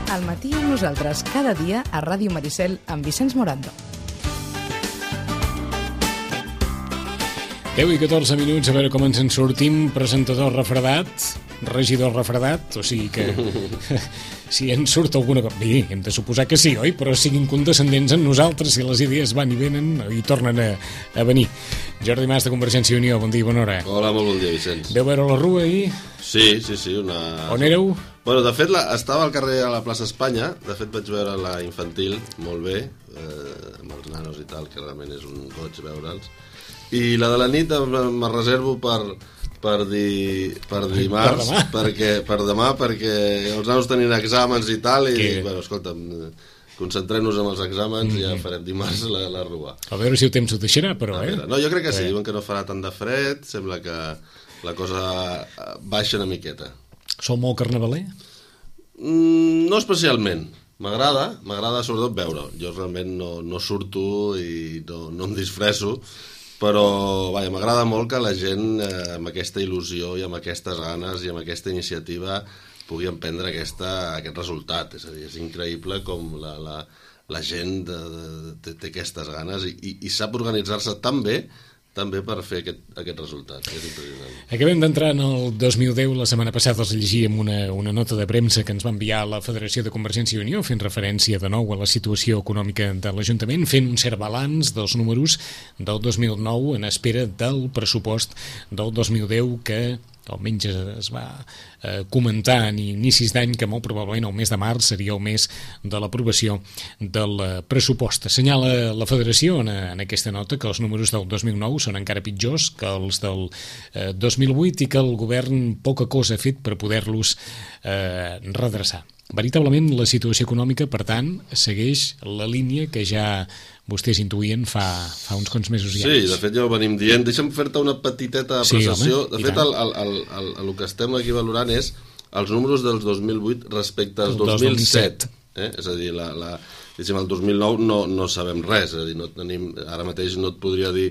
Al matí amb nosaltres cada dia a Ràdio Maricel amb Vicenç Morando. 10 i 14 minuts, a veure com ens en sortim. Presentador refredat, regidor refredat, o sigui que si ens surt alguna cosa... Bé, hem de suposar que sí, oi? Però siguin condescendents amb nosaltres, si les idees van i venen i tornen a venir. Jordi Mas, de Convergència i Unió, bon dia, bona hora. Hola, molt bon dia, Vicenç. Veu veure la Rua ahir? Sí, una... On éreu? Bueno, de fet, estava al carrer a la plaça Espanya, de fet vaig veure la infantil molt bé, amb els nanos i tal, que realment és un goig veure'ls. I la de la nit me reservo per dimarts, per demà, perquè els nanos tenien exàmens i tal, i, bueno, escolta'm, concentrem-nos en els exàmens i ja farem dimarts la Rua. A veure si el temps ho deixarà, però, No, jo crec que sí, diuen que no farà tant de fred, sembla que la cosa baixa una miqueta. Sou molt carnavaler? No especialment. M'agrada sobretot veure. Jo realment no surto i no em disfresso, però m'agrada molt que la gent amb aquesta il·lusió i amb aquestes ganes i amb aquesta iniciativa pugui emprendre aquest resultat. És a dir, és increïble com la gent té aquestes ganes i sap organitzar-se tan bé per fer aquest resultat. És impressionant. Acabem d'entrar en el 2010. La setmana passada els llegíem una nota de premsa que ens va enviar la Federació de Convergència i Unió, fent referència de nou a la situació econòmica de l'Ajuntament, fent un cert balanç dels números del 2009 en espera del pressupost del 2010 que almenys es va comentar en inicis d'any que molt probablement el mes de març seria el mes de l'aprovació del pressupost. Assenyala la Federació en aquesta nota que els números del 2009 són encara pitjors que els del 2008 i que el govern poca cosa ha fet per poder-los redreçar. Veritablement la situació econòmica, per tant, segueix la línia que ja vostès intuïen fa uns quants mesos i anys. Sí, de fet ja ho venim dient. Deixa'm fer-te una petiteta apreciació. Sí, de fet, el que estem aquí valorant és els números del 2008 respecte als 2007. És a dir, el 2009 no sabem res. És a dir, no tenim, ara mateix no et podria dir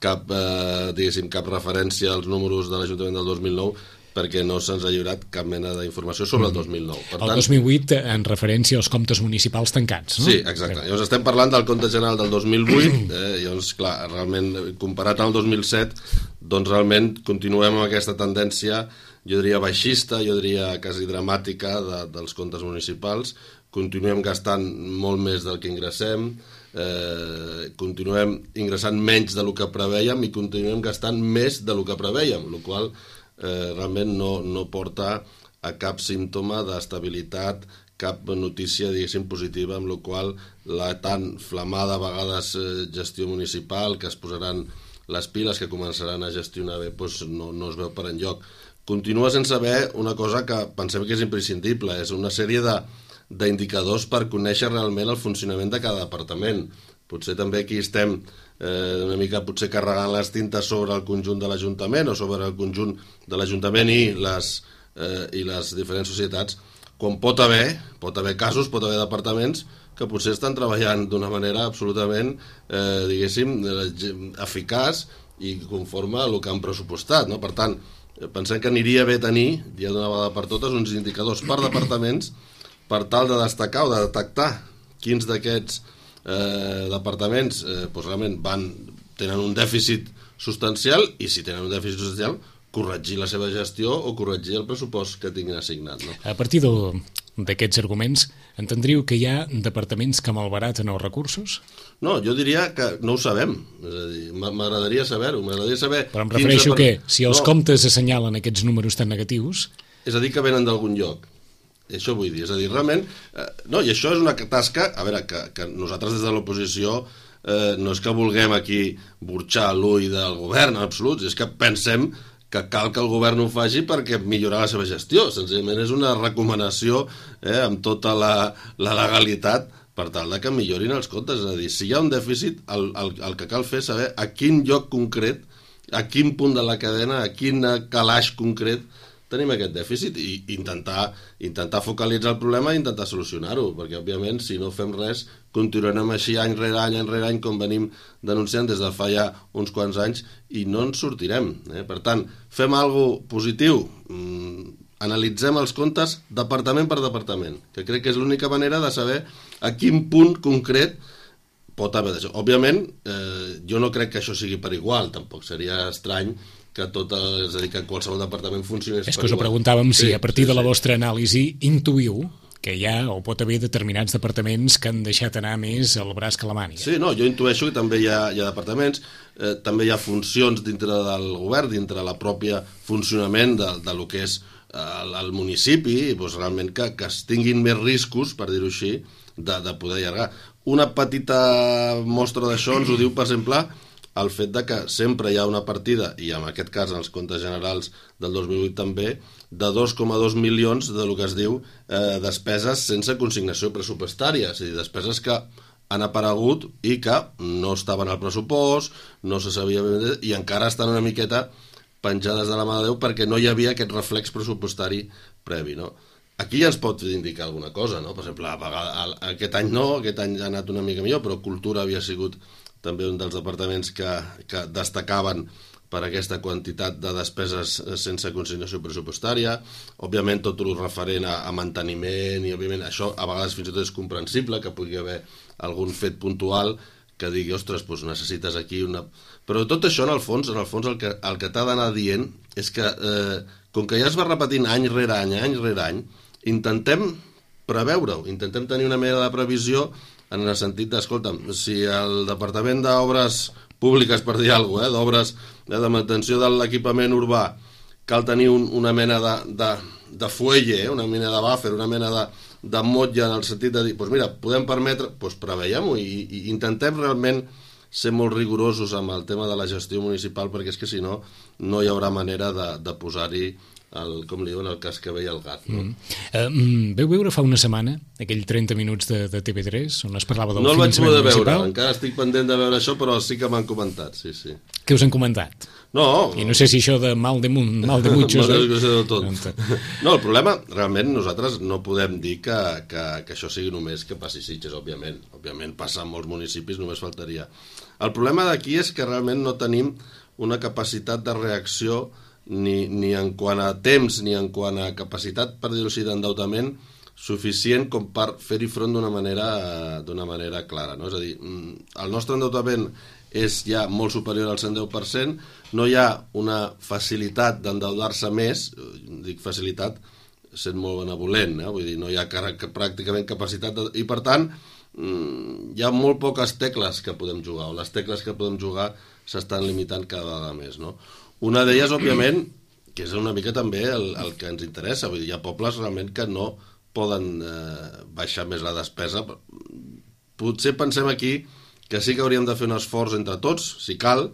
cap referència als números de l'Ajuntament del 2009 perquè no se'ns ha lliurat cap mena d'informació sobre el 2009. Per tant, el 2008 en referència als comptes municipals tancats, no? Sí, exacte. Llavors estem parlant del compte general del 2008, llavors, clar, realment, comparat amb el 2007, doncs realment continuem amb aquesta tendència, jo diria baixista, jo diria quasi dramàtica dels comptes municipals, continuem gastant molt més del que ingressem, continuem ingressant menys del que prevèiem i continuem gastant més del que prevèiem, el qual realment no porta a cap símptoma d'estabilitat, cap notícia, diguéssim, positiva, amb la qual la tan flamada a vegades gestió municipal, que es posaran les piles, que començaran a gestionar bé, doncs no es veu per enlloc. Continua sense haver una cosa que pensem que és imprescindible, és una sèrie d'indicadors per conèixer realment el funcionament de cada departament. Potser també aquí estem una mica potser carregant les tintes sobre el conjunt de l'Ajuntament o sobre el conjunt de l'Ajuntament i les diferents societats, quan pot haver casos, pot haver departaments que potser estan treballant d'una manera absolutament, diguéssim, eficaç i conforme a el que han pressupostat, no? Per tant, pensem que aniria bé tenir, ja d'una vegada per totes, uns indicadors per departaments per tal de destacar o de detectar quins d'aquests departaments realment tenen un dèficit substancial i si tenen un dèficit substancial corregir la seva gestió o corregir el pressupost que tinguin assignat, no? A partir d'aquests arguments entendríeu que hi ha departaments que malbaraten els recursos? No, jo diria que no ho sabem, és a dir, m'agradaria saber-ho, però em refereixo que si els comptes assenyalen aquests números tan negatius... És a dir, que venen d'algun lloc. Això vull dir, és a dir, realment... No, i això és una tasca, a veure, que nosaltres des de l'oposició no és que vulguem aquí burxar l'ull del govern, en absolut, és que pensem que cal que el govern ho faci perquè millorar la seva gestió. Senzillament és una recomanació amb tota la legalitat per tal de que millorin els comptes. És a dir, si hi ha un dèficit, el que cal fer és saber a quin lloc concret, a quin punt de la cadena, a quin calaix concret tenim aquest dèficit i intentar focalitzar el problema i intentar solucionar-ho, perquè òbviament si no fem res continuarem així any rere any com venim denunciant des de fa ja uns quants anys i no ens sortirem. Per tant, fem alguna cosa positiu, analitzem els comptes departament per departament, que crec que és l'única manera de saber a quin punt concret pot haver d'això. Òbviament, jo no crec que això sigui per igual, tampoc seria estrany que és a dir, que qualsevol departament funcionés per igual. És que us ho preguntàvem si a partir de la vostra anàlisi intuïu que hi ha o pot haver determinats departaments que han deixat anar més el braç que la màniga. Sí, no, jo intueixo que també hi ha departaments, també hi ha funcions dintre del govern, dintre la pròpia funcionament de lo que és el municipi, doncs realment que es tinguin més riscos, per dir-ho així, de poder allargar. Una petita mostra d'això ens ho diu, per exemple, el fet de que sempre hi ha una partida, i en aquest cas en els comptes generals del 2008 també, de 2,2 milions del que es diu despeses sense consignació pressupostària, és a dir, despeses que han aparegut i que no estaven al pressupost, no se sabia ben bé, i encara estan una miqueta penjades de la mà de Déu perquè no hi havia aquest reflex pressupostari previ, no? Aquí ja ens pot indicar alguna cosa, no? Per exemple, aquest any no, aquest any ha anat una mica millor, però Cultura havia sigut també un dels departaments que destacaven per aquesta quantitat de despeses sense consignació pressupostària. Òbviament, tot el referent a manteniment, i òbviament això a vegades fins i tot és comprensible, que pugui haver algun fet puntual que digui, ostres, doncs necessites aquí una... Però tot això, en el fons el que t'ha d'anar dient és que, com que ja es va repetint any rere any, intentem preveure-ho, intentem tenir una mena de previsió en el sentit d'escolta'm, si el Departament d'Obres Públiques, per dir alguna cosa, d'obres de mantenció de l'equipament urbà, cal tenir una mena de fuelle, una mena de buffer, una mena de motlla en el sentit de dir, doncs mira, podem permetre, doncs preveiem-ho i intentem realment ser molt rigorosos amb el tema de la gestió municipal, perquè és que si no, no hi haurà manera de posar-hi com li diuen, el cascabell al gat. No? Veu veure fa una setmana aquell 30 minuts de TV3 on es parlava del finançament municipal? No el vaig poder veure, encara estic pendent de veure això, però sí que m'han comentat, sí. Què us han comentat? No. I no sé si això de mal de muchos... No, el problema, realment, nosaltres no podem dir que això sigui només que passi Sitges, òbviament. Òbviament passa en molts municipis, només faltaria. El problema d'aquí és que realment no tenim una capacitat de reacció ni en quant a temps ni en quant a capacitat, per dir-ho així, d'endeutament suficient com per fer-hi front d'una manera clara, no? És a dir, el nostre endeutament és ja molt superior al 110%, no hi ha una facilitat d'endeutar-se més, dic facilitat sent molt benevolent, vull dir, no hi ha pràcticament capacitat i per tant hi ha molt poques tecles que podem jugar, o les tecles que podem jugar s'estan limitant cada vegada més, no? Una d'elles, òbviament, que és una mica també el que ens interessa. Vull dir, hi ha pobles realment que no poden baixar més la despesa. Potser pensem aquí que sí que hauríem de fer un esforç entre tots, si cal,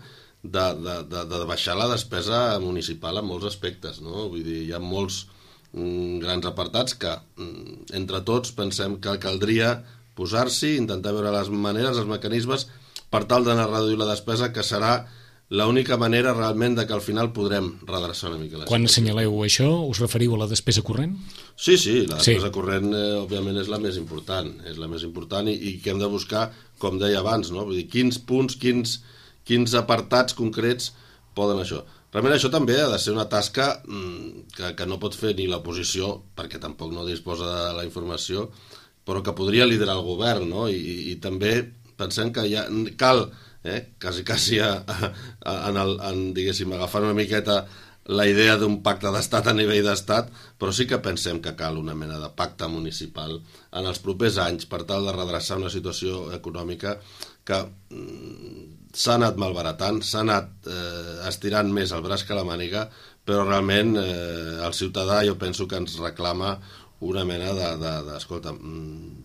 de baixar la despesa municipal en molts aspectes, no? Vull dir, hi ha molts grans apartats que entre tots pensem que caldria posar-s'hi, intentar veure les maneres, els mecanismes, per tal d'anar a reduir la despesa, que serà l'única manera realment de que al final podrem redreçar una mica la situació. Quan assenyaleu això, us referiu a la despesa corrent? Sí, la despesa corrent òbviament és la més important, i que hem de buscar, com deia abans, no? Vull dir, quins punts, quins apartats concrets poden això. Realment això també ha de ser una tasca que no pot fer ni l'oposició, perquè tampoc no disposa de la informació, però que podria liderar el govern, no? I també pensem que ja cal quasi diguéssim, agafant una miqueta la idea d'un pacte d'estat a nivell d'estat, però sí que pensem que cal una mena de pacte municipal en els propers anys per tal de redreçar una situació econòmica que s'ha anat malbaratant, s'ha anat estirant més el braç que la màniga, però realment el ciutadà jo penso que ens reclama una mena escolta,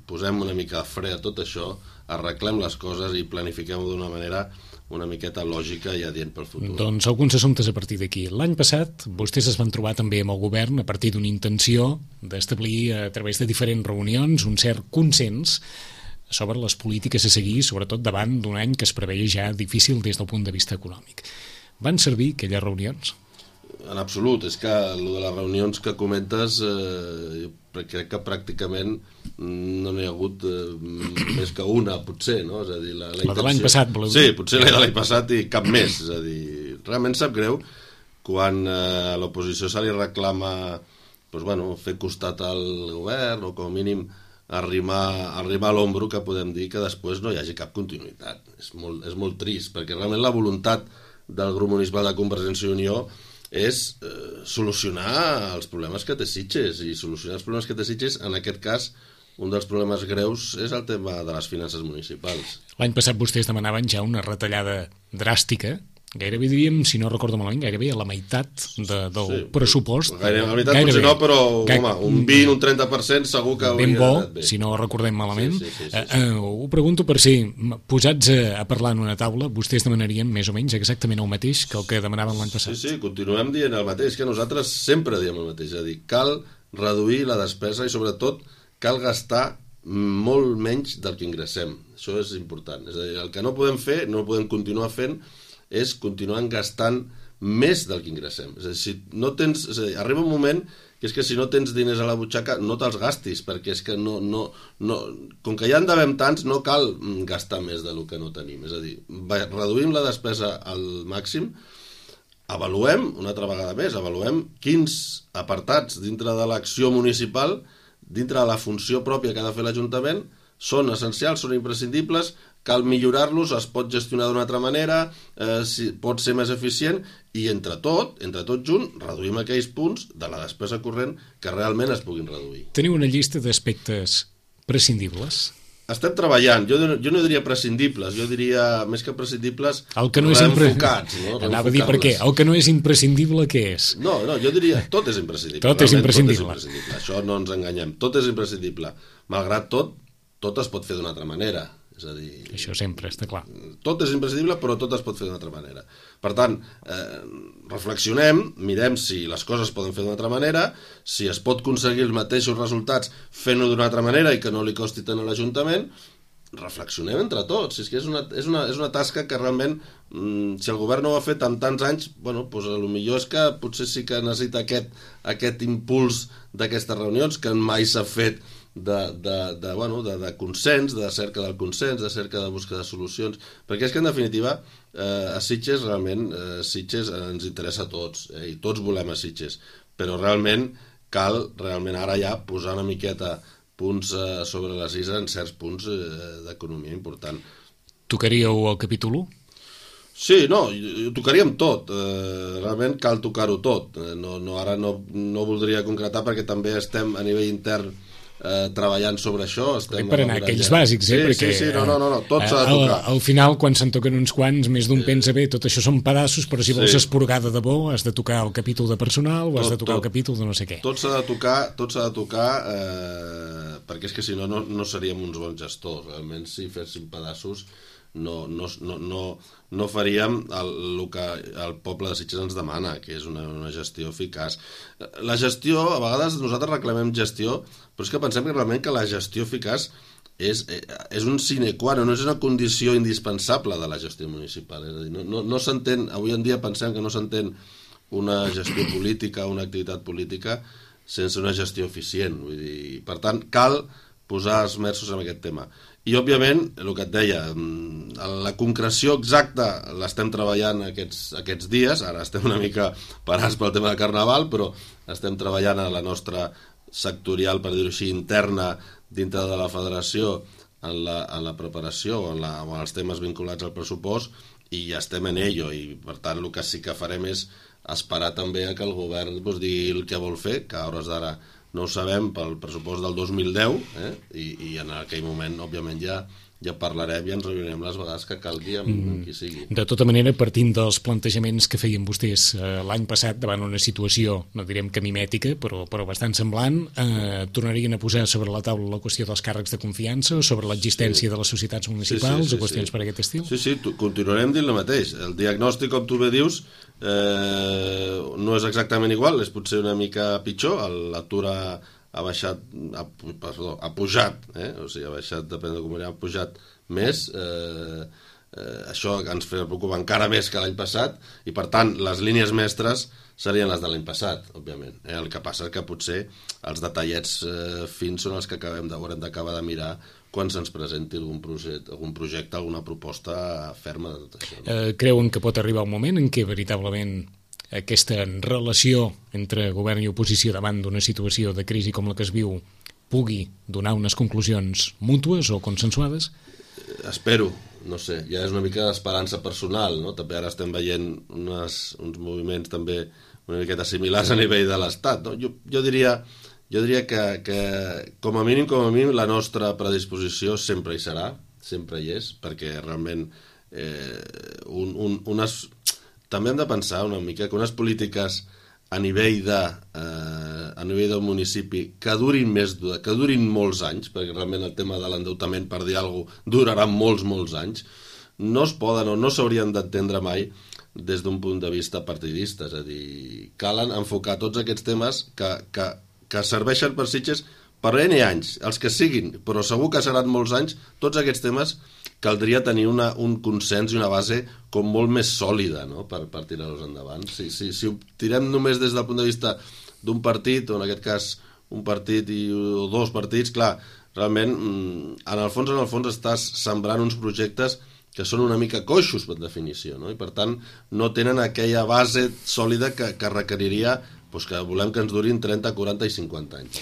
posem una mica de fre a tot això, arreglem les coses i planifiquem-ho d'una manera una miqueta lògica i adient pel futur. Doncs alguns assumptes a partir d'aquí. L'any passat vostès es van trobar també amb el govern a partir d'una intenció d'establir a través de diferents reunions un cert consens sobre les polítiques a seguir, sobretot davant d'un any que es preveia ja difícil des del punt de vista econòmic. Van servir aquelles reunions? En absolut, és que el de les reunions que comentes crec que pràcticament no n'hi ha hagut més que una, potser, no? És a dir, la de l'any passat, voleu dir? Sí, potser la de l'any passat i cap més, és a dir, realment sap greu quan a l'oposició se li reclama fer costat al govern o com a mínim arrimar l'ombro, que podem dir que després no hi hagi cap continuïtat. És molt trist, perquè realment la voluntat del grup municipal de Convergència i Unió és solucionar els problemes que té Sitges, i solucionar els problemes que té Sitges, en aquest cas, un dels problemes greus és el tema de les finances municipals. L'any passat vostès demanaven ja una retallada dràstica, gairebé diríem, si no recordo malament, gairebé a la meitat del pressupost. A la meitat potser no, però un 20, un 30% segur que hauria anat bé. Si no ho recordem malament. Sí. Ho pregunto per si, posats a parlar en una taula, vostès demanarien més o menys exactament el mateix que el que demanaven l'any passat. Sí, continuem dient el mateix, que nosaltres sempre diem el mateix, és a dir, cal reduir la despesa i sobretot cal gastar molt menys del que ingressem. Això és important. És a dir, el que no podem fer, no podem continuar fent, és continuar gastant més del que ingressem. És a dir, si no tens, arriba un moment que és que si no tens diners a la butxaca no te'ls gastis, perquè és que com que ja en devem tants, no cal gastar més del que no tenim. És a dir, reduïm la despesa al màxim, avaluem, una altra vegada més, avaluem quins apartats dintre de l'acció municipal, dintre de la funció pròpia que ha de fer l'Ajuntament, són essencials, són imprescindibles, cal millorar-los, es pot gestionar d'una altra manera, pot ser més eficient, i entre tot junt, reduïm aquells punts de la despesa corrent que realment es puguin reduir. Teniu una llista d'aspectes prescindibles? Estem treballant, jo no diria prescindibles, jo diria més que prescindibles, reenfocats. Anava a dir per què, el que no és imprescindible, què és? No, jo diria, tot és imprescindible. Tot és imprescindible. Això no ens enganyem, tot és imprescindible. Malgrat tot es pot fer d'una altra manera. És a dir, això sempre està clar. Tot és imprescindible, però tot es pot fer d'una altra manera. Per tant, reflexionem, mirem si les coses es poden fer d'una altra manera, si es pot aconseguir els mateixos resultats fent-ho d'una altra manera i que no li costi tant a l'Ajuntament. Reflexionem entre tots. És que és una tasca que realment, si el govern no ho ha fet en tants anys, potser és que potser sí que necessita aquest impuls d'aquestes reunions que mai s'ha fet de consens, de cerca del consens, de cerca de busca de solucions, perquè és que en definitiva a Sitges realment Sitges ens interessa a tots, i tots volem a Sitges, però realment cal ara ja posar una miqueta punts sobre les is en certs punts d'economia important. Tocaríeu el capítol 1? Sí, ho tocaríem tot, realment cal tocar-ho tot. Ara no voldria concretar perquè també estem a nivell intern treballant sobre això. Per anar a aquells bàsics, perquè tot s'ha de tocar. Al final, quan se'n toquen uns quants, més d'un pensa, bé, tot això són pedaços, però si vols esporgar de debò, has de tocar el capítol de personal o has de tocar el capítol de no sé què. Tot s'ha de tocar, perquè és que si no seríem uns bons gestors. Realment, si féssim pedaços, no faríem el que el poble de Sitges ens demana, que és una gestió eficaç. La gestió, a vegades nosaltres reclamem gestió, però és que pensem que realment que la gestió eficaç és un sine qua non, no és una condició indispensable de la gestió municipal. És a dir, no s'entén, avui en dia pensem que no s'entén una gestió política, una activitat política, sense una gestió eficient. Vull dir, per tant, cal posar esmerços en aquest tema. I, òbviament, el que et deia, la concreció exacta l'estem treballant aquests dies, ara estem una mica parats pel tema de Carnaval, però estem treballant a la nostra sectorial, per dir-ho així, interna, dintre de la federació, en la preparació o en els temes vinculats al pressupost, i ja estem en ello, i per tant el que sí que farem és esperar també que el govern digui el que vol fer, que a hores d'ara no ho sabem pel pressupost del 2010, i en aquell moment, òbviament, ja parlarem i ens reunirem les vegades que calgui amb qui sigui. De tota manera, partint dels plantejaments que feien vostès l'any passat davant una situació, no direm que mimètica, però bastant semblant, tornarien a posar sobre la taula la qüestió dels càrrecs de confiança o sobre l'existència de les societats municipals o qüestions per aquest estil? Sí, continuarem dint el mateix. El diagnòstic, com tu bé dius, no és exactament igual, és potser una mica pitjor. L'atur ha pujat, o sigui, ha baixat, depèn de com ha pujat més, això ens fa preocupar encara més que l'any passat, i per tant les línies mestres serien les de l'any passat, òbviament. El que passa és que potser els detallets fins són els que haurem d'acabar de mirar quan se'ns presenti algun projecte, alguna proposta ferma de tot això. Creuen que pot arribar un moment en què veritablement aquesta relació entre govern i oposició davant d'una situació de crisi com la que es viu pugui donar unes conclusions mútues o consensuades? Espero, no sé, ja és una mica d'esperança personal, no? També ara estem veient uns moviments també una miqueta similars a nivell de l'Estat, no? Jo diria que com a mínim la nostra predisposició sempre hi serà, sempre hi és, perquè realment també hem de pensar una mica que unes polítiques a nivell del municipi que durin molts anys, perquè realment el tema de l'endeutament, per dir alguna cosa, durarà molts anys, no es poden o no s'haurien d'entendre mai des d'un punt de vista partidista, és a dir, calen enfocar tots aquests temes que serveixen per Sitges per N anys, els que siguin, però segur que seran molts anys, tots aquests temes caldria tenir un consens i una base com molt més sòlida, no? per tirar-los endavant. Si ho tirem només des del punt de vista d'un partit, o en aquest cas un partit o dos partits, clar, realment en el fons estàs sembrant uns projectes que són una mica coixos per definició, no? I per tant no tenen aquella base sòlida que requeriria que volem que ens durin 30, 40 i 50 anys.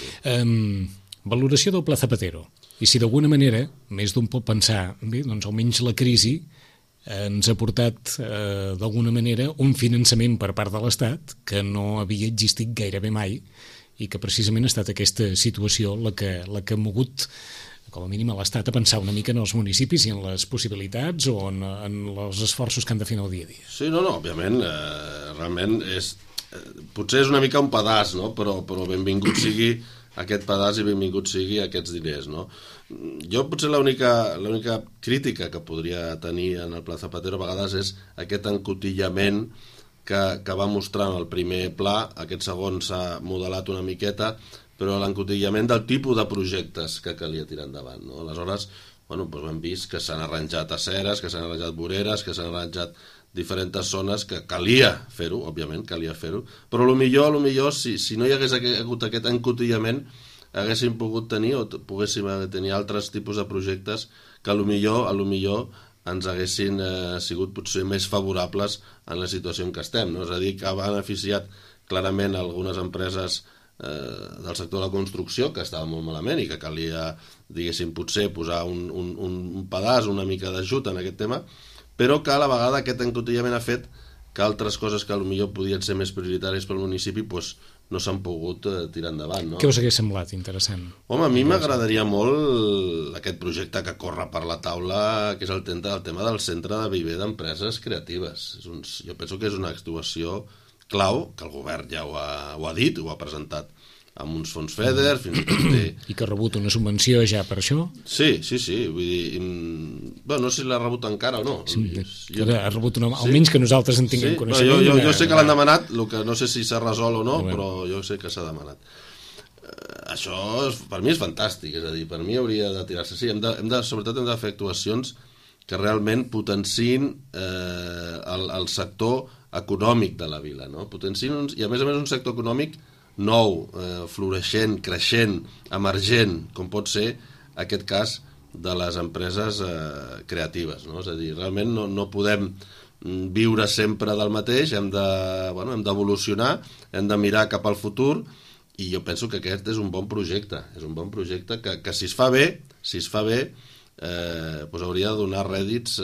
Valoració del Pla Zapatero. I si d'alguna manera, més d'un pot pensar, bé, doncs almenys la crisi ens ha portat d'alguna manera un finançament per part de l'Estat que no havia existit gairebé mai i que precisament ha estat aquesta situació la que ha mogut com a mínim a l'Estat a pensar una mica en els municipis i en les possibilitats o en els esforços que han de fer en el dia a dia. Sí, no, òbviament, realment potser és una mica un pedaç, no? Però benvingut sigui aquest pedaç i benvingut sigui aquests diners, no? Jo potser l'única crítica que podria tenir en el Pla Zapatero a vegades és aquest encotillament que va mostrar en el primer pla. Aquest segon s'ha modelat una miqueta, però l'encotillament del tipus de projectes que calia tirar endavant, no? Aleshores, hem vist que s'han arranjat aceres, que s'han arranjat voreres, que s'han arranjat diferents zones que calia fer-ho, òbviament, calia fer-ho, però potser si no hi hagués hagut aquest encotillament haguéssim pogut tenir o poguéssim tenir altres tipus de projectes que potser ens haguessin sigut potser més favorables en la situació en què estem, no? És a dir, que ha beneficiat clarament algunes empreses del sector de la construcció que estava molt malament i que calia, diguéssim, potser posar un pedaç, una mica d'ajut en aquest tema, però que a la vegada aquest encotillament ha fet que altres coses que potser podien ser més prioritàries pel municipi no s'han pogut tirar endavant, no? Què us hagués semblat interessant? Home, a mi m'agradaria molt aquest projecte que corre per la taula, que és el tema del centre de viver d'empreses creatives. Jo penso que és una actuació clau, que el govern ja ho ha dit, ho ha presentat amb uns fons FEDER, fins i tot té... I que ha rebut una subvenció ja per això? Sí, vull dir... no sé si l'ha rebut encara o no. Sí, ha rebut almenys que nosaltres en tinguem coneixement. Jo sé que l'han demanat, el que no sé si s'ha resolt o no, però jo sé que s'ha demanat. Això per mi és fantàstic, és a dir, per mi hauria de tirar-se. Sí, sobretot hem de fer actuacions que realment potenciïn el sector econòmic de la vila, no? Potenciïn i a més un sector econòmic nou, floreixent, creixent, emergent, com pot ser aquest cas de les empreses creatives, no? És a dir, realment no podem viure sempre del mateix, hem d'evolucionar, hem de mirar cap al futur, i jo penso que aquest és un bon projecte, que si es fa bé, hauria de donar rèdits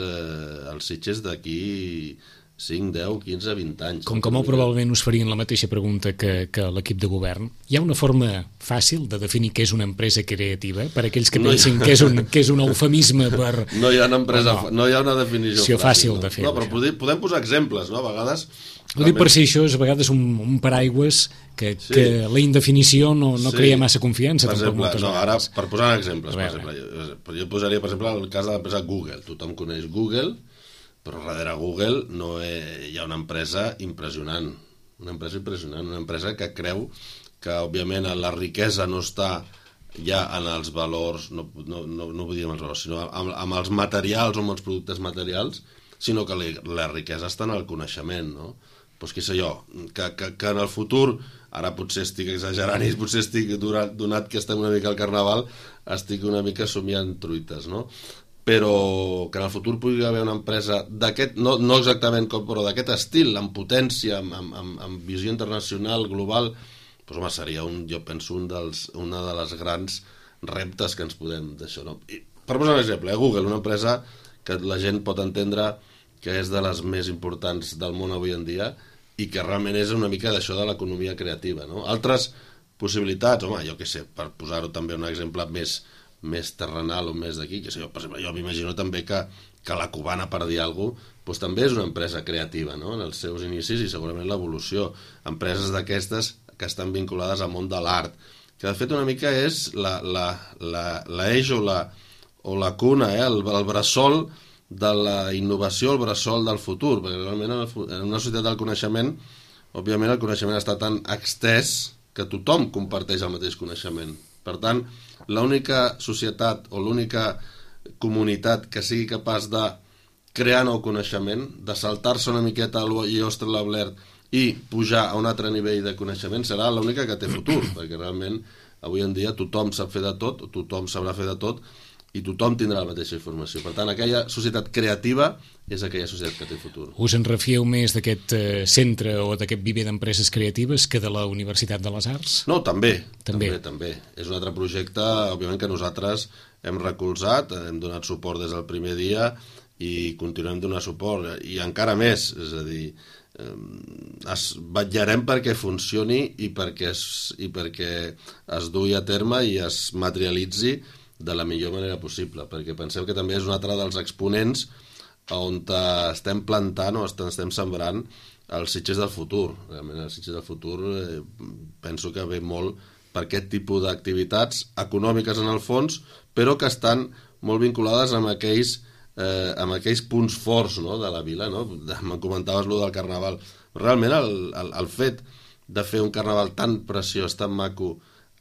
als Sitges d'aquí 5, 10, 15, 20 anys. Com que molt probablement us farien la mateixa pregunta que l'equip de govern, hi ha una forma fàcil de definir què és una empresa creativa per aquells que pensin que és un eufemisme per... No hi ha una definició fàcil de fer. No, però podem posar exemples, no? A vegades... Ho dic per si això és a vegades un paraigües que la indefinició no crea massa confiança. Per exemple, ara, per posar exemples, jo posaria, per exemple, el cas de l'empresa Google. Tothom coneix Google, però darrere Google hi ha una empresa impressionant, una empresa que creu que, òbviament, la riquesa no està ja en els valors, no vull dir en els valors, sinó amb els materials o amb els productes materials, sinó que la riquesa està en el coneixement, no? Doncs què sé jo, que en el futur, ara potser estic exagerant i potser estic, donat que estem una mica al carnaval, estic una mica somiant truites, no? però que en el futur pugui haver una empresa d'aquest, no exactament com, però d'aquest estil, amb potència, amb visió internacional, global, doncs home, seria jo penso una de les grans reptes que ens podem d'això, no? I, per posar un exemple, Google, una empresa que la gent pot entendre que és de les més importants del món avui en dia i que realment és una mica d'això de l'economia creativa, no? Altres possibilitats, home, jo què sé, per posar-ho també un exemple més terrenal o més d'aquí, que sé jo, per exemple, jo m'imagino també que la Cubana, per dir alguna cosa, doncs també és una empresa creativa, no?, en els seus inicis i segurament l'evolució. Empreses d'aquestes que estan vinculades al món de l'art, que de fet una mica és l'eix o la cuna, el bressol de la innovació, el bressol del futur, perquè realment en una societat del coneixement, òbviament el coneixement està tan extès que tothom comparteix el mateix coneixement. Per tant, l'única societat o l'única comunitat que sigui capaç de crear nou coneixement, de saltar-se una miqueta a l'Iostre Lablert i pujar a un altre nivell de coneixement, serà l'única que té futur, perquè realment avui en dia tothom sap fer de tot, tothom sabrà fer de tot, i tothom tindrà la mateixa informació. Per tant, aquella societat creativa és aquella societat que té futur. Us en refieu més d'aquest centre o d'aquest viver d'empreses creatives que de la Universitat de les Arts? No, també. És un altre projecte, òbviament, que nosaltres hem recolzat, hem donat suport des del primer dia i continuem donant suport, i encara més, és a dir, vetllarem perquè funcioni i perquè es dugui a terme i es materialitzi de la millor manera possible, perquè pensem que també és un altre dels exponents on estem plantant o estem sembrant els Sitges del futur. Realment els Sitges del futur penso que ve molt per aquest tipus d'activitats econòmiques en el fons, però que estan molt vinculades amb aquells punts forts, no?, de la vila, no? Me'n comentaves allò del carnaval. Realment el fet de fer un carnaval tan preciós, tan maco,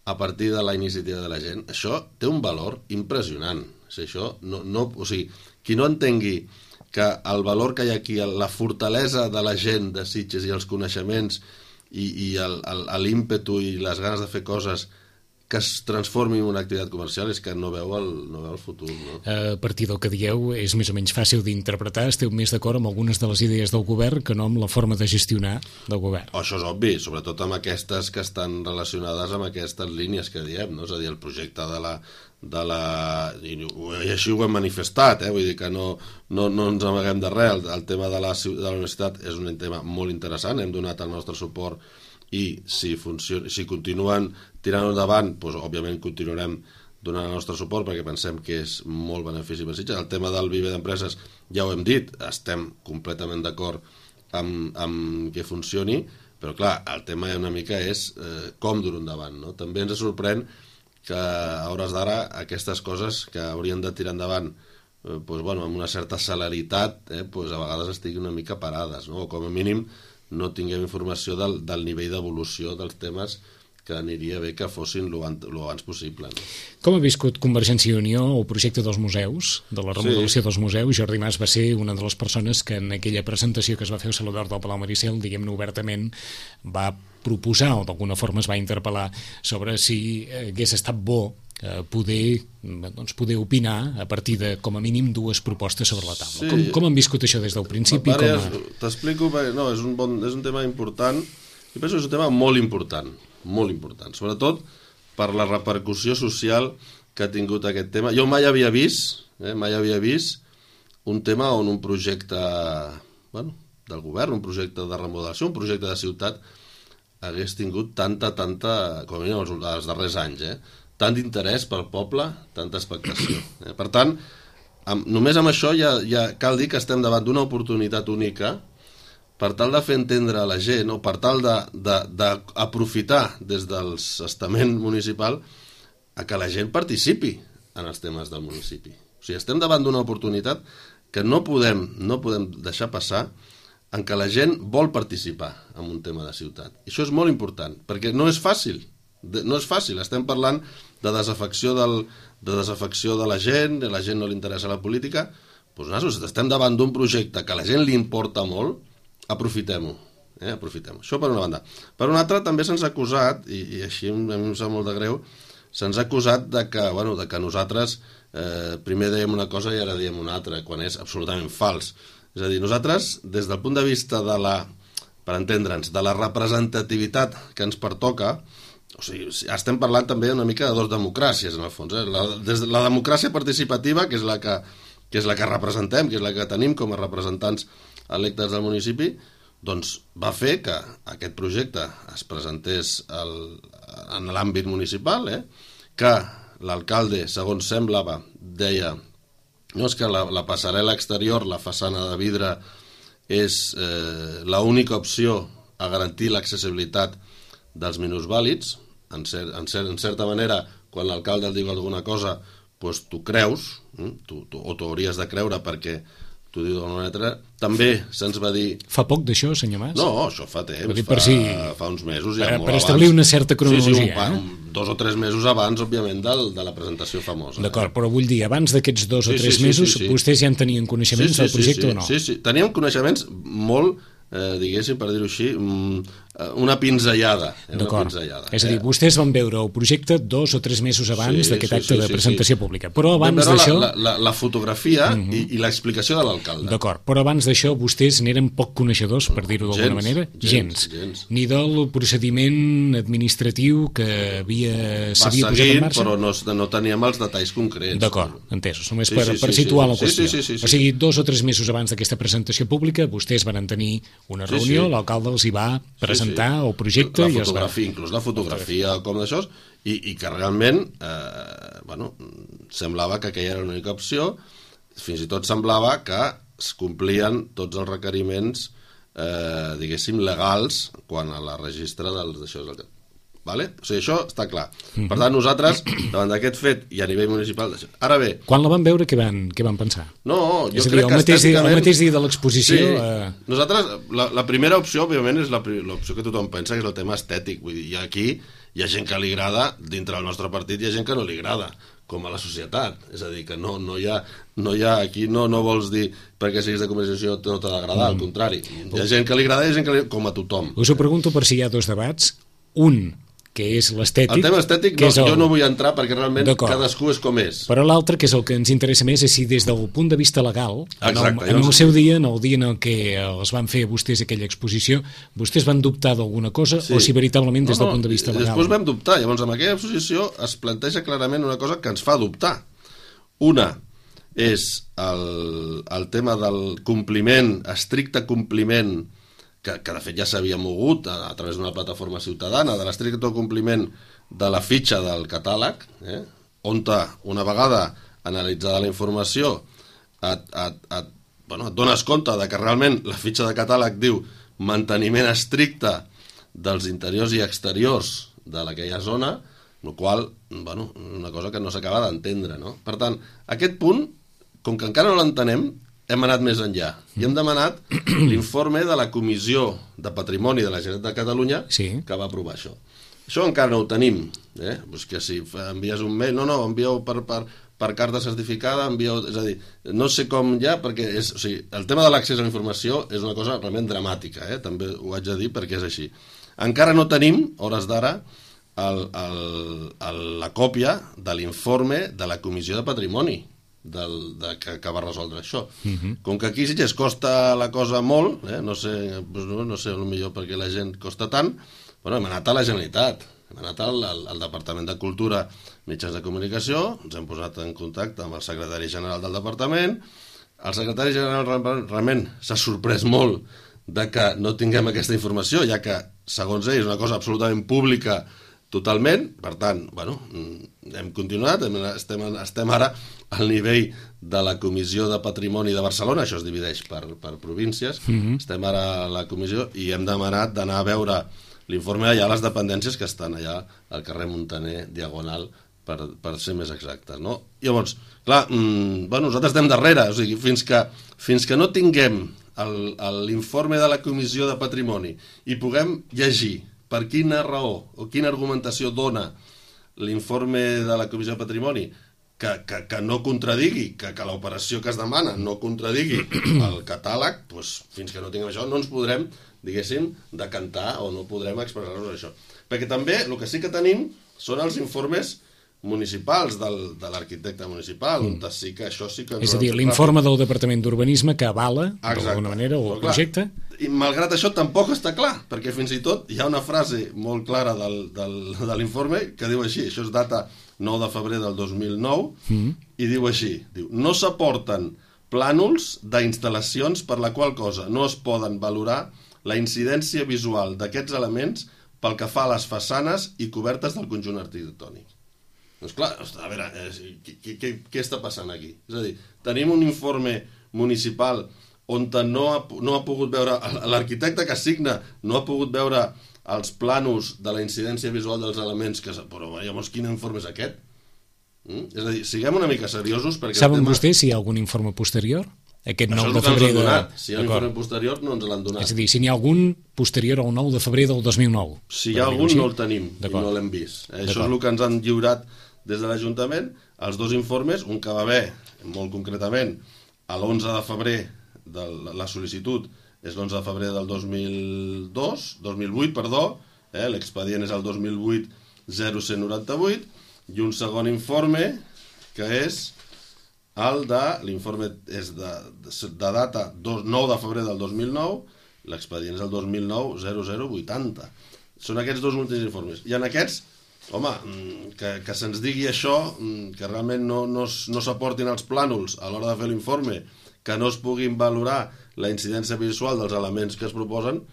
a partir de la iniciativa de la gent, això té un valor impressionant. O sigui, qui no entengui que el valor que hi ha aquí, la fortalesa de la gent de Sitges i els coneixements i l'ímpetu i les ganes de fer coses que es transformi en una activitat comercial és que no veu el futur, no? A partir del que dieu és més o menys fàcil d'interpretar. Esteu més d'acord amb algunes de les idees del govern que no amb la forma de gestionar del govern. Això és obvi, sobretot amb aquestes que estan relacionades amb aquestes línies que diem, no? És a dir, el projecte i així ho hem manifestat, vull dir que no ens amaguem de res. El tema de la universitat és un tema molt interessant, hem donat el nostre suport i si continuen tirant endavant, doncs òbviament continuarem donant el nostre suport perquè pensem que és molt benefici per Sitges. El tema del viver d'empreses ja ho hem dit, estem completament d'acord amb que funcioni, però clar, el tema una mica és com dur endavant, no? També ens sorprèn que a hores d'ara aquestes coses que haurien de tirar endavant amb una certa celeritat a vegades estiguin una mica parades, no? O com a mínim no tinguem informació del nivell d'evolució dels temes, que aniria bé que fossin lo abans possible, no? Com ha viscut Convergència i Unió el projecte dels museus, de la remodelació dels museus? Jordi Mas va ser una de les persones que en aquella presentació que es va fer al Saló d'Art del Palau Maricel, diguem-ne obertament, va proposar o d'alguna forma es va interpel·lar sobre si hagués estat bo poder opinar a partir de, com a mínim, dues propostes sobre la taula. Sí. Com han viscut això des del principi? T'explico, no, és un tema important, i penso que és un tema molt important, sobretot per la repercussió social que ha tingut aquest tema. Jo mai havia vist un tema on un projecte del govern, un projecte de remodelació, un projecte de ciutat hagués tingut tanta, com a mínim els darrers anys, tant d'interès pel poble, tanta expectació. Per tant, només amb això ja cal dir que estem davant d'una oportunitat única per tal de fer entendre a la gent, o per tal d'aprofitar des del estament municipal a que la gent participi en els temes del municipi. O sigui, estem davant d'una oportunitat que no podem deixar passar, en què la gent vol participar en un tema de ciutat. I això és molt important, perquè no és fàcil, estem parlant de desafecció de la gent no li interessa la política, doncs nosaltres estem davant d'un projecte que a la gent li importa molt, aprofitem-ho. Això per una banda. Per una altra, també se'ns ha acusat, i així a mi em sap molt de greu, se'ns ha acusat de que nosaltres primer dèiem una cosa i ara diem una altra, quan és absolutament fals. És a dir, nosaltres, des del punt de vista per entendre'ns, de la representativitat que ens pertoca, o sigui, estem parlant també una mica de dos democràcies, en el fons. Des de la democràcia participativa, que és la que representem, que és la que tenim com a representants electes del municipi, doncs va fer que aquest projecte es presentés en l'àmbit municipal, que l'alcalde, segons semblava, deia no és que la passarel·la exterior, la façana de vidre, és l'única opció a garantir l'accessibilitat dels minusvàlids. En certa manera, quan l'alcalde el diu alguna cosa, doncs tu creus, o t'ho hauries de creure perquè t'ho diu d'una manera. També se'ns va dir... Fa poc d'això, senyor Mas? No, això fa temps, fa uns mesos. Ja per establir una certa cronologia. Sí, 2 o 3 mesos abans, òbviament, de la presentació famosa. D'acord, però vull dir, abans d'aquests 2 o 3 mesos, vostès ja en tenien coneixements del projecte o no? Sí, teníem coneixements molt... diguéssim, per dir-ho així, una pinzellada. D'acord, és a dir, vostès van veure el projecte 2 o 3 mesos abans d'aquest acte de presentació pública, però abans d'això... La fotografia i l'explicació de l'alcalde. D'acord, però abans d'això vostès n'eren poc coneixedors, per dir-ho d'alguna manera? Gens. Ni del procediment administratiu que s'havia posat en marxa? Però no teníem els detalls concrets. D'acord, entesos, només per situar la qüestió. O sigui, 2 o 3 mesos abans d'aquesta presentació pública, vostès van tenir una reunió, l'alcalde els hi va presentar el projecte i es va... Inclús la fotografia com d'això, i que realment semblava que aquella era l'única opció, fins i tot semblava que es complien tots els requeriments diguéssim legals quan a la registre d'això. Vale? O sigui, això està clar. Per tant, nosaltres, davant d'aquest fet i a nivell municipal... Ara bé... Quan la van veure, què van pensar? No, jo crec que estèticament... El mateix dia de l'exposició... Sí. Nosaltres, la primera opció, òbviament, és l'opció que tothom pensa, que és el tema estètic. Vull dir, aquí hi ha gent que li agrada, dintre del nostre partit hi ha gent que no li agrada, com a la societat. És a dir, que no hi ha aquí no vols dir perquè siguis de Convergència no t'ha d'agradar, al contrari. Hi ha gent que li agrada i hi ha gent que li agrada, com a tothom. Us ho pregunto per si hi ha 2 debats. Un, que és l'estètic... El tema estètic jo no vull entrar perquè realment cadascú és com és. Però l'altre, que és el que ens interessa més, és si des del punt de vista legal, en el seu dia, en el dia en què els van fer vostès aquella exposició, vostès van dubtar d'alguna cosa o si veritablement des del punt de vista legal? Després vam dubtar. Llavors, amb aquella exposició es planteja clarament una cosa que ens fa dubtar. Una és el tema del compliment, estricte compliment, que de fet ja s'havia mogut a través d'una plataforma ciutadana, de l'estricte compliment de la fitxa del catàleg, on una vegada analitzada la informació et dones compte de que realment la fitxa de catàleg diu manteniment estricte dels interiors i exteriors d'aquella zona, la qual una cosa que no s'acaba d'entendre, no? Per tant, aquest punt, com que encara no l'entenem, hem anat més enllà i hem demanat l'informe de la Comissió de Patrimoni de la Generalitat de Catalunya que va aprovar això. Això encara no ho tenim, pues que si envies un mail, envieu per carta certificada, és a dir, no sé com ja, perquè el tema de l'accés a la informació és una cosa realment dramàtica, també ho haig de dir perquè és així. Encara no tenim, hores d'ara, la còpia de l'informe de la Comissió de Patrimoni que va resoldre això. Com que aquí sí que es costa la cosa molt, no sé potser perquè la gent costa tant, hem anat a la Generalitat, hem anat al Departament de Cultura, Mitjans de Comunicació, ens hem posat en contacte amb el secretari general del departament. El secretari general realment s'ha sorprès molt de que no tinguem aquesta informació, ja que, segons ell, és una cosa absolutament pública totalment. Per tant, hem continuat, estem ara al nivell de la Comissió de Patrimoni de Barcelona, això es divideix per províncies, estem ara a la comissió i hem demanat d'anar a veure l'informe allà a les dependències que estan allà al carrer Muntaner, Diagonal, per ser més exactes, no? Llavors, clar, nosaltres estem darrere, o sigui, fins que no tinguem l'informe de la Comissió de Patrimoni i puguem llegir per quina raó o quina argumentació dona l'informe de la Comissió de Patrimoni que no contradigui, que l'operació que es demana no contradigui el catàleg, doncs fins que no tinguem això no ens podrem, diguéssim, decantar o no podrem expressar-nos això. Perquè també el que sí que tenim són els informes municipals de l'arquitecte municipal, on sí que això sí que... És a dir, l'informe del Departament d'Urbanisme que avala, d'alguna manera, el projecte. I malgrat això tampoc està clar, perquè fins i tot hi ha una frase molt clara de l'informe que diu així, això és data 9 de febrer del 2009, i diu així, diu, no s'aporten plànols d'instal·lacions per la qual cosa no es poden valorar la incidència visual d'aquests elements pel que fa a les façanes i cobertes del conjunt arquitectònic. Doncs clar, a veure, què està passant aquí? És a dir, tenim un informe municipal on no ha pogut veure, l'arquitecte que assigna no ha pogut veure els plànols de la incidència visual dels elements, però llavors quin informe és aquest? És a dir, siguem una mica seriosos perquè... Saben vostès si hi ha algun informe posterior? Aquest 9 de febrer de... Si hi ha un informe posterior no ens l'han donat. És a dir, si n'hi ha algun posterior al 9 de febrer del 2009. Si hi ha algun no el tenim i no l'hem vist. Això és el que ens han lliurat des de l'Ajuntament, els dos informes, un que va haver, molt concretament, a l'11 de febrer, la sol·licitud és l'11 de febrer del 2008, l'expedient és el 2008-0198, i un segon informe, que és l'informe és de data 9 de febrer del 2009, l'expedient és el 2009-0080. Són aquests dos últims informes. I en aquests, home, que se'ns digui això, que realment no s'aportin els plànols a l'hora de fer l'informe, que no es puguin valorar la incidència visual dels elements que es proposen,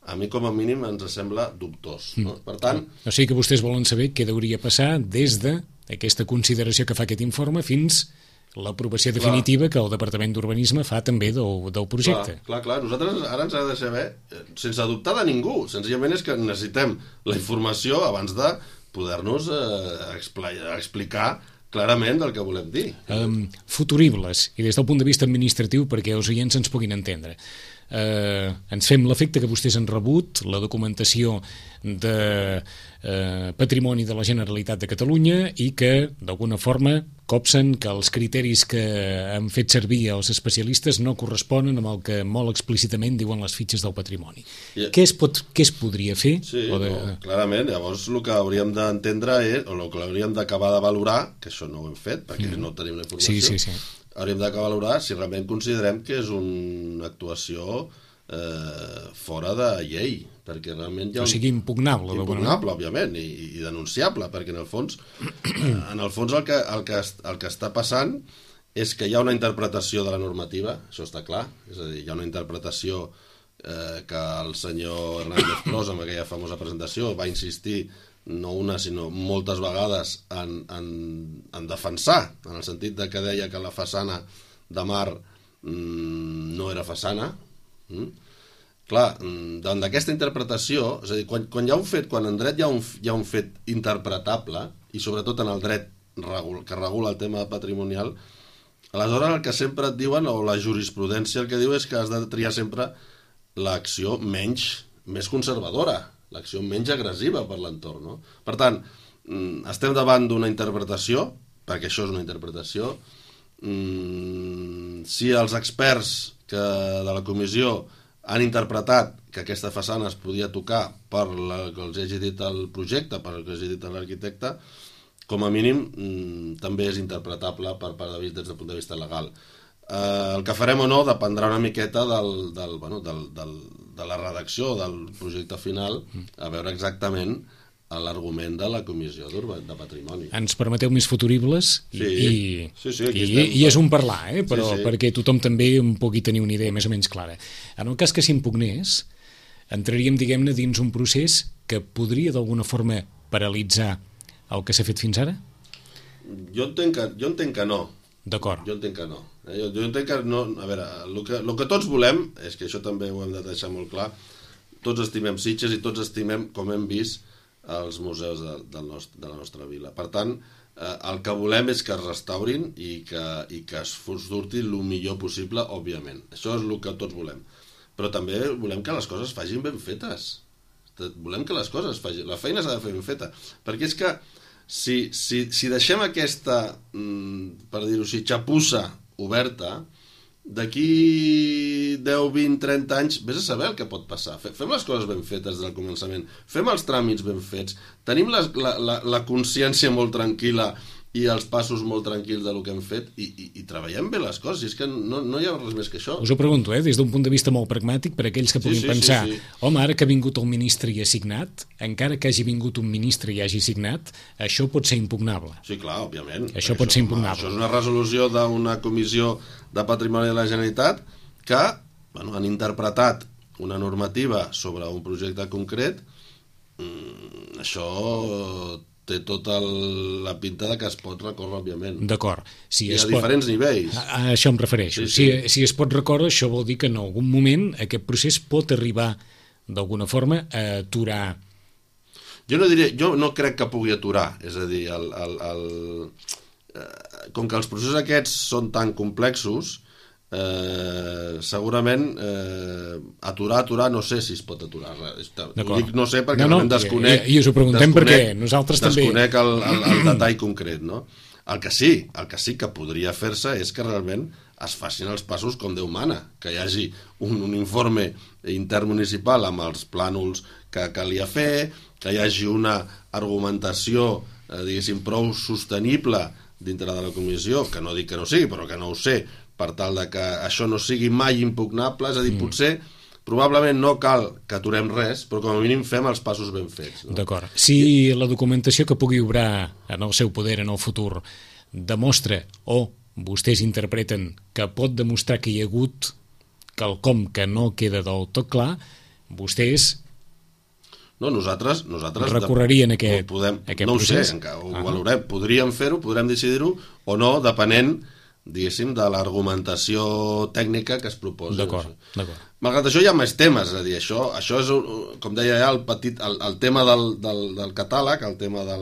a mi com a mínim ens sembla dubtós. No? Per tant... O sigui que vostès volen saber què hauria passar des d'aquesta consideració que fa aquest informe fins l'aprovació definitiva que el Departament d'Urbanisme fa també del projecte. Clar. Nosaltres ara ens ha de saber, sense dubtar de ningú, senzillament és que necessitem la informació abans de poder-nos explicar clarament del que volem dir. Futuribles, i des del punt de vista administratiu, perquè els oients ens puguin entendre. Ens fem l'efecte que vostès han rebut la documentació de patrimoni de la Generalitat de Catalunya i que d'alguna forma copsen que els criteris que han fet servir els especialistes no corresponen amb el que molt explícitament diuen les fitxes del patrimoni. Què es podria fer? Sí, clarament, llavors el que hauríem d'entendre és, o el que hauríem d'acabar de valorar, que això no ho hem fet perquè no tenim la informació, sí. Hauríem de valorar si realment considerem que és una actuació fora de llei, perquè realment hi ha... O sigui, impugnable. Impugnable, òbviament, i denunciable, perquè en el fons el que està passant és que hi ha una interpretació de la normativa, això està clar, és a dir, hi ha una interpretació que el senyor Hernández Pros, amb aquella famosa presentació, va insistir no una, sinó moltes vegades en defensar, en el sentit de que deia que la façana de mar no era façana. Clar, davant d'aquesta interpretació, és a dir, quan hi ha un fet, quan en dret hi ha un fet interpretable, i sobretot en el dret que regula el tema patrimonial, aleshores el que sempre et diuen, o la jurisprudència el que diu és que has de triar sempre l'acció més conservadora, l'acció menys agressiva per l'entorn, no? Per tant, estem davant d'una interpretació, perquè això és una interpretació. Si els experts de la comissió han interpretat que aquesta façana es podia tocar per que els hagi dit el projecte, per que els hagi dit l'arquitecte, com a mínim també és interpretable des del punt de vista legal. El que farem o no dependrà una miqueta de la redacció del projecte final, a veure exactament l'argument de la Comissió de Patrimoni. Ens permeteu més futuribles i és un parlar, però perquè tothom també en pugui tenir una idea més o menys clara. En el cas que s'impugnés, entraríem, diguem-ne, dins un procés que podria d'alguna forma paralitzar el que s'ha fet fins ara? Jo entenc que no. D'acord. Jo entenc que no. Jo entenc que no... A veure, el que tots volem, és que això també ho hem de deixar molt clar, tots estimem Sitges i tots estimem, com hem vist, els museus de la nostra vila. Per tant, el que volem és que es restaurin i que es surti el millor possible, òbviament. Això és el que tots volem. Però també volem que les coses facin ben fetes. Volem que les coses facin... La feina s'ha de fer ben feta. Perquè és que si deixem aquesta, per dir-ho així, xapussa oberta, d'aquí 10, 20, 30 anys, vés a saber el que pot passar. Fem les coses ben fetes des del començament, fem els tràmits ben fets, tenim la consciència molt tranquil·la i els passos molt tranquils del que hem fet i treballem bé les coses, i és que no hi ha res més que això. Us ho pregunto, des d'un punt de vista molt pragmàtic, per aquells que puguin pensar, home, ara que ha vingut el ministre i ha signat, encara que hagi vingut un ministre i hagi signat, això pot ser impugnable. Sí, clar, òbviament. Això pot ser impugnable. Això és una resolució d'una comissió de patrimoni de la Generalitat que han interpretat una normativa sobre un projecte concret. Això té tota la pinta que es pot recórrer, òbviament. D'acord. I a diferents nivells. A això em refereixo. Si es pot recórrer, això vol dir que en algun moment aquest procés pot arribar d'alguna forma a aturar. Jo no crec que pugui aturar. És a dir, com que els processos aquests són tan complexos, segurament aturar no sé si es pot aturar. Ho dic no sé perquè desconec i us ho preguntem perquè nosaltres també desconec el detall concret, no? El que sí que podria fer-se és que realment es facin els passos com Déu mana, que hi hagi un informe intermunicipal amb els plànols que calia fer, que hi hagi una argumentació diguéssim prou sostenible dintre de la comissió, que no dic que no sigui, però que no ho sé, per tal de que això no sigui mai impugnable. És a dir, potser, probablement no cal que aturem res, però com a mínim fem els passos ben fets. No? D'acord. Si la documentació que pugui obrar en el seu poder en el futur demostra, o vostès interpreten que pot demostrar que hi ha hagut quelcom que no queda del tot clar, vostès nosaltres recorrerien aquest no ho procés? Sé, encara ho valorem. Podríem fer-ho, podrem decidir-ho o no, depenent, diguéssim, de l'argumentació tècnica que es proposa. D'acord. Malgrat això hi ha més temes, és a dir, això és, com deia ja, el tema del catàleg, el tema de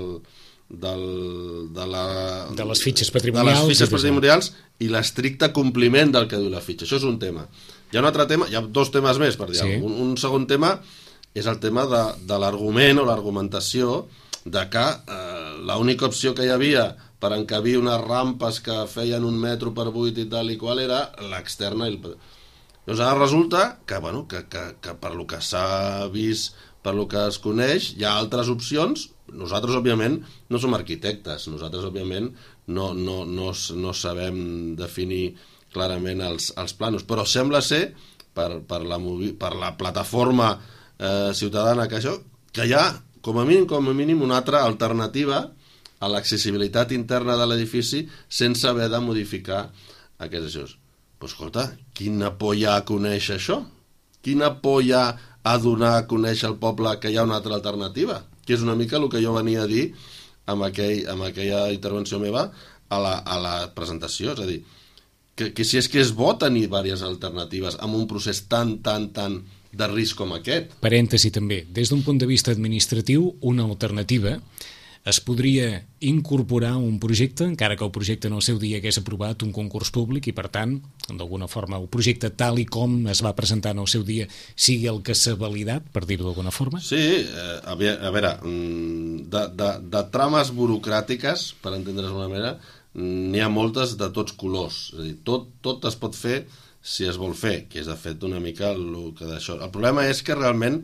les fitxes patrimonials i l'estricte compliment del que diu la fitxa. Això és un tema. Hi ha un altre tema, hi ha dos temes més, per dir alguna cosa. Un segon tema és el tema de l'argument o l'argumentació de que l'única opció que hi havia per encabir unes rampes que feien 1 metre per 8 i tal i qual era l'externa. Doncs ara resulta que per lo que s'ha vist, per lo que es coneix, hi ha altres opcions. Nosaltres, òbviament, no som arquitectes. Nosaltres, òbviament, no sabem definir clarament els plànols. Però sembla ser, per la plataforma ciutadana que hi ha, com a mínim, una altra alternativa a l'accessibilitat interna de l'edifici sense haver de modificar aquests eixos. Però escolta, quina por hi ha a conèixer això? Quina por hi ha a donar a conèixer al poble que hi ha una altra alternativa? Que és una mica el que jo venia a dir amb aquella intervenció meva a la presentació. És a dir, que si és que és bo tenir diverses alternatives amb un procés tan de risc com aquest. Parèntesi també, des d'un punt de vista administratiu, una alternativa es podria incorporar un projecte, encara que el projecte en el seu dia hagués aprovat un concurs públic i, per tant, d'alguna forma, el projecte tal i com es va presentar en el seu dia sigui el que s'ha validat, per dir-ho d'alguna forma? Sí, a veure, de trames burocràtiques, per entendre's d'una manera, n'hi ha moltes de tots colors. És a dir, tot es pot fer si es vol fer, que és de fet una mica el que d'això. El problema és que realment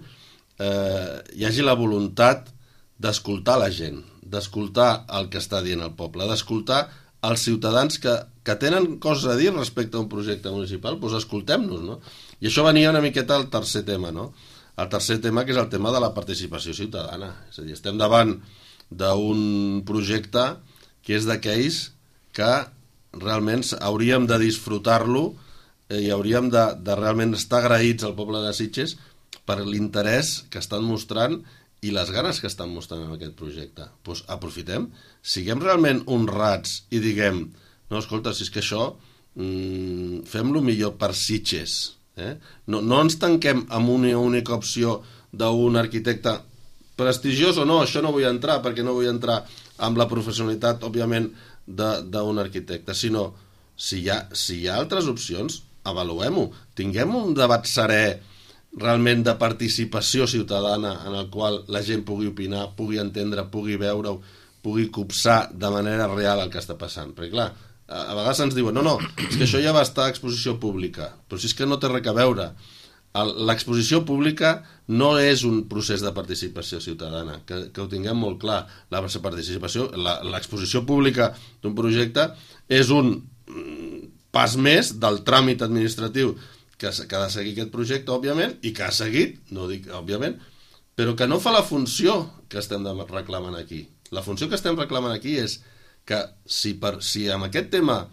hi hagi la voluntat d'escoltar la gent, d'escoltar el que està dient el poble, d'escoltar els ciutadans que tenen coses a dir respecte a un projecte municipal, doncs escoltem-nos, no? I això venia una miqueta al tercer tema, no? El tercer tema, que és el tema de la participació ciutadana. És a dir, estem davant d'un projecte que és d'aquells que realment hauríem de disfrutar-lo i hauríem de realment estar agraïts al poble de Sitges per l'interès que estan mostrant i les ganes que estan mostrant en aquest projecte. Doncs aprofitem, siguem realment honrats i diguem, no, escolta, si és que això fem-lo millor per Sitges. No ens tanquem amb una única opció d'un arquitecte prestigiós o no, això no vull entrar, perquè no vull entrar amb la professionalitat, òbviament, d'un arquitecte, sinó si hi ha altres opcions, avaluem-ho. Tinguem un debat serè realment de participació ciutadana en el qual la gent pugui opinar, pugui entendre, pugui veure-ho, pugui copsar de manera real el que està passant. Perquè clar, a vegades ens diuen no, és que això ja va estar a exposició pública, però si és que no té res a veure. L'exposició pública no és un procés de participació ciutadana, que ho tinguem molt clar. L'exposició pública d'un projecte és un pas més del tràmit administratiu que ha de seguir aquest projecte, òbviament, i que ha seguit, no dic òbviament, però que no fa la funció que estem reclamant aquí. La funció que estem reclamant aquí és que si amb aquest tema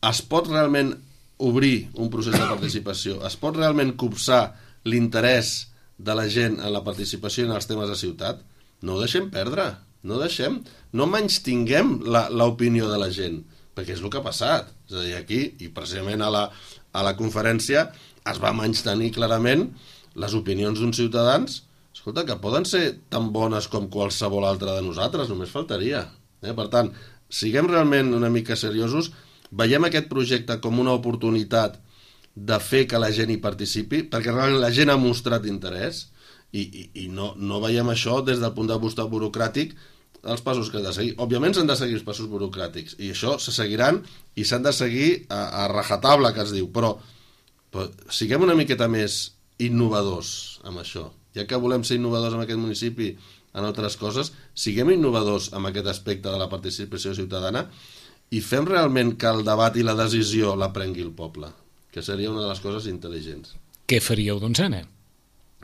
es pot realment obrir un procés de participació, es pot realment copsar l'interès de la gent en la participació en els temes de ciutat, no ho deixem perdre, no menystinguem l'opinió de la gent, perquè és el que ha passat. És a dir, aquí, i precisament a la conferència, es va menystenir clarament les opinions d'uns ciutadans, escolta, que poden ser tan bones com qualsevol altra de nosaltres, només faltaria. Per tant, siguem realment una mica seriosos, veiem aquest projecte com una oportunitat de fer que la gent hi participi, perquè realment la gent ha mostrat interès, i no veiem això des del punt de vista burocràtic, els passos que han de seguir. Òbviament s'han de seguir els passos burocràtics, i això se seguiran i s'han de seguir a rajatabla, que es diu, però siguem una miqueta més innovadors amb això. Ja que volem ser innovadors en aquest municipi en altres coses, siguem innovadors amb aquest aspecte de la participació ciutadana i fem realment que el debat i la decisió la prengui el poble, que seria una de les coses intel·ligents. Què faríeu, doncs, Anna?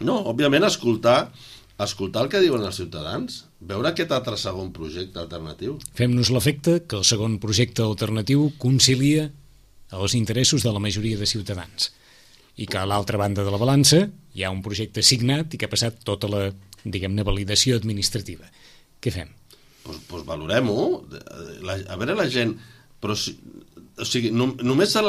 No, òbviament escoltar el que diuen els ciutadans, veure aquest altre segon projecte alternatiu. Fem-nos l'efecte que el segon projecte alternatiu concilia els interessos de la majoria de ciutadans i que a l'altra banda de la balança hi ha un projecte signat i que ha passat tota la, diguem-ne, validació administrativa. Què fem? Doncs valorem-ho. A veure la gent... Però només per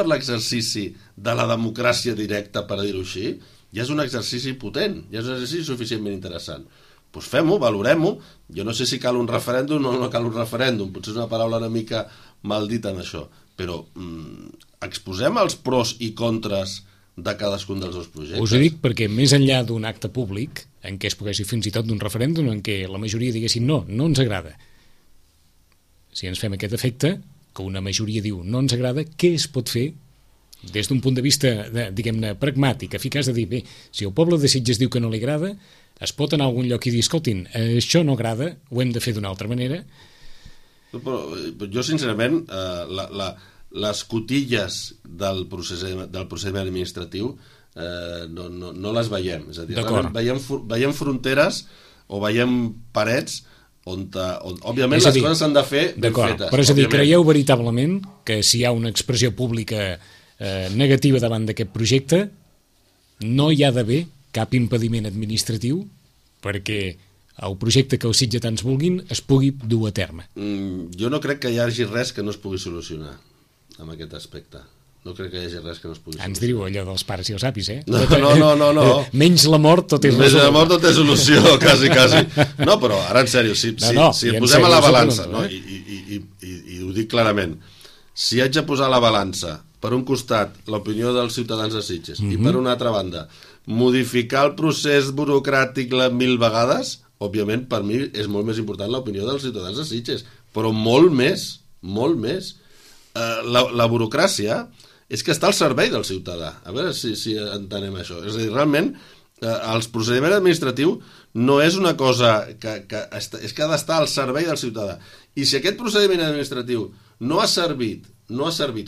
l'exercici de la democràcia directa, per dir-ho així, ja és un exercici potent, ja és un exercici suficientment interessant. Doncs fem-ho, valorem-ho. Jo no sé si cal un referèndum o no cal un referèndum, potser és una paraula una mica mal dita en això, però exposem els pros i contres de cadascun dels dos projectes. Us ho dic perquè més enllà d'un acte públic, en què es pogués fins i tot d'un referèndum, en què la majoria diguessin no ens agrada. Si ens fem aquest efecte, que una majoria diu no ens agrada, què es pot fer des d'un punt de vista, diguem-ne, pragmàtic, eficaç, de dir, bé, si el poble de Sitges diu que no li agrada, es pot anar a algun lloc i dir, escoltin, això no agrada, ho hem de fer d'una altra manera. Però jo, sincerament, les cotilles del procediment administratiu no les veiem. És a dir, veiem fronteres o veiem parets on òbviament les coses s'han de fer ben fetes. Però és a dir, creieu veritablement que si hi ha una expressió pública negativa davant d'aquest projecte, no hi ha d'haver cap impediment administratiu perquè el projecte que els sitgetans vulguin es pugui dur a terme? Jo no crec que hi hagi res que no es pugui solucionar amb aquest aspecte. No crec que hi hagi res que no es pugui solucionar. Ens diu allò dels pares i els apis, eh? No. Menys la mort, tot és solució. Menys la mort, tot és solució, quasi. No, però ara en sèrio, si posem a la balança, no? I ho dic clarament, si haig de posar a la balança, per un costat, l'opinió dels ciutadans de Sitges, i per una altra banda, modificar el procés burocràtic 1000 vegades, òbviament, per mi és molt més important l'opinió dels ciutadans de Sitges, però molt més. La burocràcia és que està al servei del ciutadà. A veure si entenem això. És a dir, realment, el procediment administratiu no és una cosa és que ha d'estar al servei del ciutadà. I si aquest procediment administratiu no ha servit,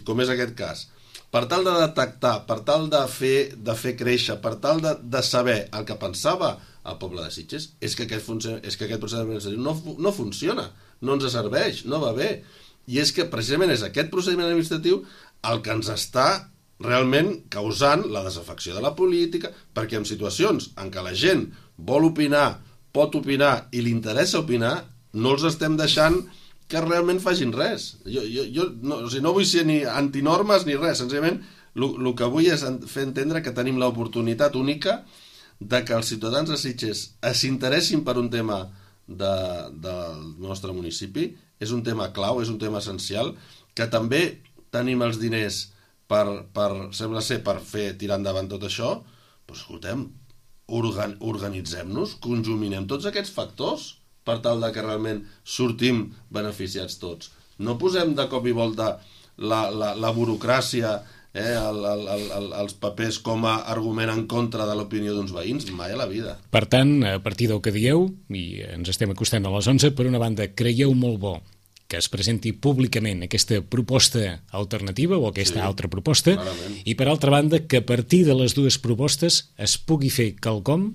com és aquest cas, per tal de detectar, per tal de fer créixer, per tal de saber el que pensava el poble de Sitges, és que aquest procediment administratiu no funciona, no ens serveix, no va bé. I és que precisament és aquest procediment administratiu el que ens està realment causant la desafecció de la política, perquè en situacions en què la gent vol opinar, pot opinar i li interessa opinar, no els estem deixant que realment facin res. Jo no vull ser ni antinormes ni res, senzillament el que vull és fer entendre que tenim l'oportunitat única de que els ciutadans de Sitges s'interessin per un tema del nostre municipi. És un tema clau, és un tema essencial, que també tenim els diners sembla ser per fer tirar endavant tot això. Però escoltem, organitzem-nos, conjuminem tots aquests factors per tal de que realment sortim beneficiats tots. No posem de cop i volta la burocràcia, els papers com a argument en contra de l'opinió d'uns veïns, mai a la vida. Per tant, a partir del que dieu, i ens estem acostant a les 11, per una banda, creieu molt bo que es presenti públicament aquesta proposta alternativa o aquesta altra proposta, clarament. I per altra banda, que a partir de les dues propostes es pugui fer quelcom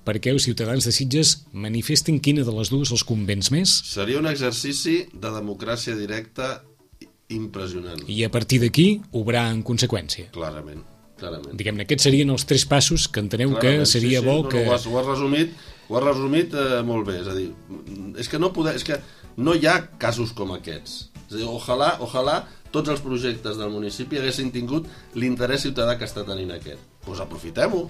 perquè els ciutadans de Sitges manifestin quina de les dues els convenç més. Seria un exercici de democràcia directa impressionant. I a partir d'aquí, obrar en conseqüència. Clarament. Diguem-ne, aquests serien els 3 passos que enteneu que seria bo que... Ho has resumit molt bé. És a dir, és que no hi ha casos com aquests. És a dir, ojalà tots els projectes del municipi haguessin tingut l'interès ciutadà que està tenint aquest. Doncs aprofitem-ho.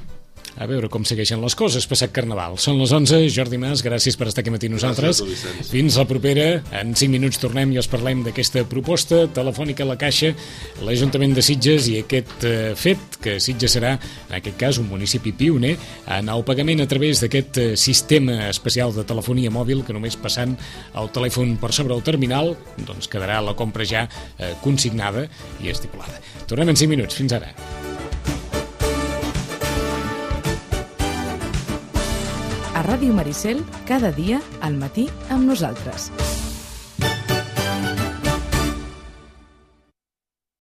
A veure com segueixen les coses, passat Carnaval. Són les 11, Jordi Mas, gràcies per estar aquí matí nosaltres. Fins la propera, en 5 minuts tornem i us parlem d'aquesta proposta telefònica a la Caixa, l'Ajuntament de Sitges i aquest fet que Sitges serà, en aquest cas, un municipi pioner en el pagament a través d'aquest sistema especial de telefonia mòbil que només passant el telèfon per sobre el terminal doncs quedarà la compra ja consignada i estipulada. Tornem en 5 minuts. Fins ara. A Ràdio Maricel, cada dia al matí amb nosaltres.